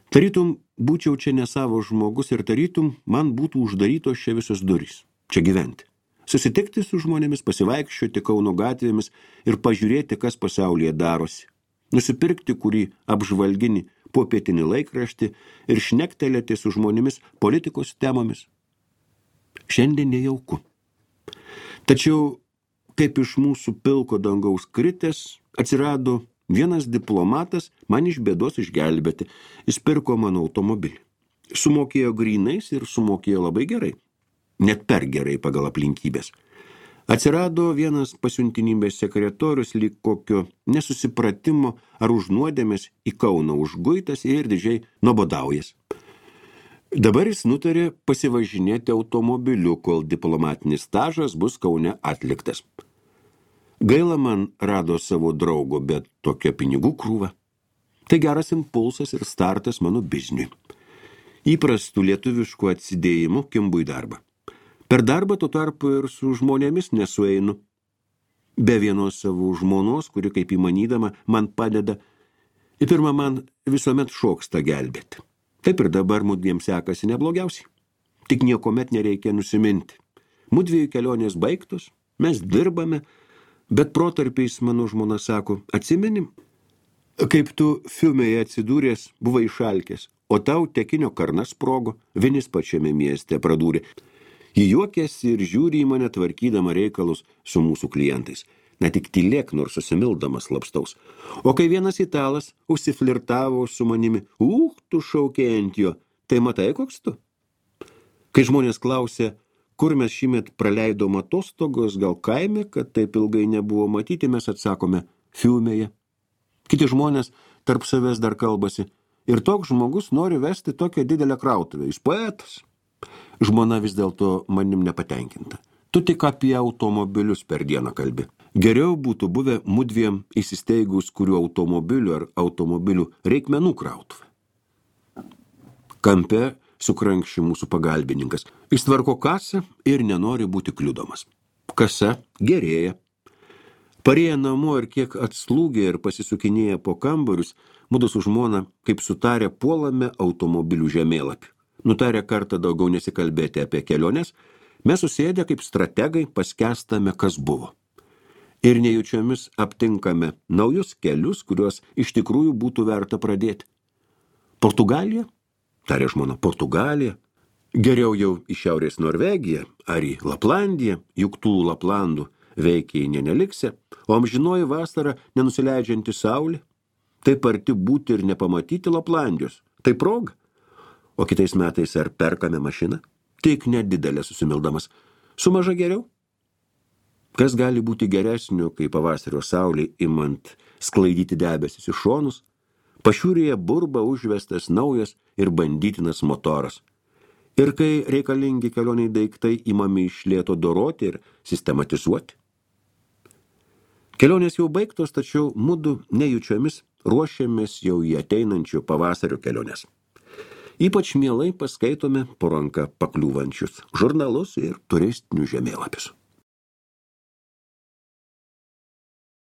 Tarytum būčiau čia ne savo žmogus ir tarytum man būtų uždarytos čia visos durys. Čia gyventi. Susitikti su žmonėmis, pasivaikščioti Kauno gatvėmis ir pažiūrėti, kas pasaulyje darosi. Nusipirkti kurį apžvalginį popietinį laikraštį ir šnektelėti su žmonėmis politikos temomis. Šiandien nejauku. Tačiau, kaip iš mūsų pilko dangaus kritęs, atsirado vienas diplomatas man iš bėdos išgelbėti. Jis pirko mano automobilį. Sumokėjo grynais ir sumokėjo labai gerai. Net per gerai pagal aplinkybės. Atsirado vienas pasiuntinybės sekretorius lyg kokio nesusipratimo ar užnuodėmės į Kauną užguitas ir didžiai nuobodaujas. Dabar jis nutarė pasivažinėti automobiliu, kol diplomatinis stažas bus Kaune atliktas. Gaila man rado savo draugo, bet tokia pinigų krūva. Tai geras impulsas ir startas mano bizniui. Įprastų lietuviškų atsidėjimų kimbu į darbą. Per darbą tuo tarpu ir su žmonėmis nesueinu. Be vienos savo žmonos, kuri kaip įmanydama man padeda, į pirmą man visuomet šoksta gelbėti. Taip ir dabar mudviem sekasi neblogiausiai. Tik niekomet nereikia nusiminti. Mudviejų kelionės baigtos, mes dirbame, bet protarpiais mano žmona sako, atsimenim, kaip tu Fiumėje atsidūręs buvai išalkęs, o tau tekinio karnas sprogo, Vinis pačiame mieste pradūrė. Ji juokėsi ir žiūri į mane tvarkydama reikalus su mūsų klientais. Ne tik tylėk, nors susimildamas slapstaus. O kai vienas italas užsiflirtavo su manimi, tu šaukė ant jo, tai matai koks tu? Kai žmonės klausė, kur mes šįmet praleidom atostogos, gal kaime, kad taip ilgai nebuvo matyti, mes atsakome Fiumėje. Kiti žmonės tarp savęs dar kalbasi. Ir toks žmogus nori vesti tokią didelę krautuvę. Jis poetas. Žmona vis dėlto manim nepatenkinta. Tu tik apie automobilius per dieną kalbi. Geriau būtų buvę mudviem įsisteigus kurių automobilių ar automobilių reikmenų krautuvę. Kampe sukrankščiai mūsų pagalbininkas. Jis tvarko kasą ir nenori būti kliudomas. Kasa gerėja. Parėję namo ir kiek atslūgė ir pasisukinėję po kambarius, mudu su žmona, kaip sutarę, puolame automobilių žemėlapį. Nutarę kartą daugiau nesikalbėti apie keliones, mes susėdę kaip strategai paskęstame, kas buvo. Ir nejučiomis aptinkame naujus kelius, kuriuos iš tikrųjų būtų verta pradėti. Portugalija? Tarė žmona, Portugalija. Geriau jau į Šiaurės Norvegiją ar į Laplandiją, juk tų Laplandų veikiai neneliksė, o amžinoji vasara nenusileidžianti saulė. Taip arti būti ir nepamatyti Laplandijos. Tai proga. O kitais metais ar perkame mašiną? Tik nedidelė susimildamas. Su maža geriau? Kas gali būti geresnio, kai pavasario saulė imant sklaidyti debesis į šonus? Pašiūrėje burba užvestas naujas ir bandytinas motoras. Ir kai reikalingi kelioniai daiktai imami iš lėto doroti ir sistematizuoti. Kelionės jau baigtos, tačiau mudu nejučiomis ruošiamės jau į ateinančių pavasario keliones. Ypač mielai paskaitome po ranką pakliūvančius žurnalus ir turistinius žemėlapius.